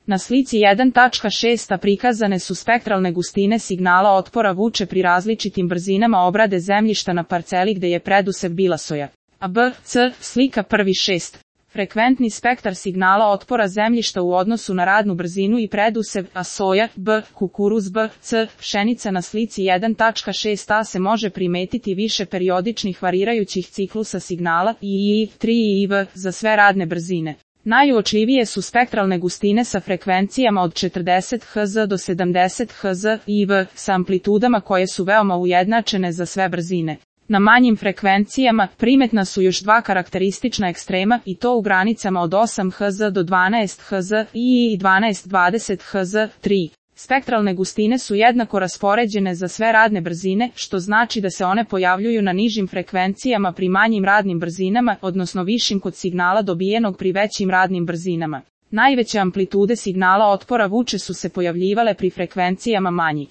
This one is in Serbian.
Na slici 1.6 prikazane su spektralne gustine signala otpora vuče pri različitim brzinama obrade zemljišta na parceli gde je predusev bila soja. A B, C, slika 1.6. Frekventni spektar signala otpora zemljišta u odnosu na radnu brzinu i predusev, a soja, B, kukuruz B, C, pšenica na slici 1.6a se može primetiti više periodičnih varirajućih ciklusa signala I, 3 i V za sve radne brzine. Najuočljivije su spektralne gustine sa frekvencijama od 40 Hz do 70 Hz i V sa amplitudama koje su veoma ujednačene za sve brzine. Na manjim frekvencijama primetna su još dva karakteristična ekstrema i to u granicama od 8 Hz do 12 Hz i 12-20 Hz, 3. Spektralne gustine su jednako raspoređene za sve radne brzine, što znači da se one pojavljuju na nižim frekvencijama pri manjim radnim brzinama, odnosno višim kod signala dobijenog pri većim radnim brzinama. Najveće amplitude signala otpora vuče su se pojavljivale pri frekvencijama manjih.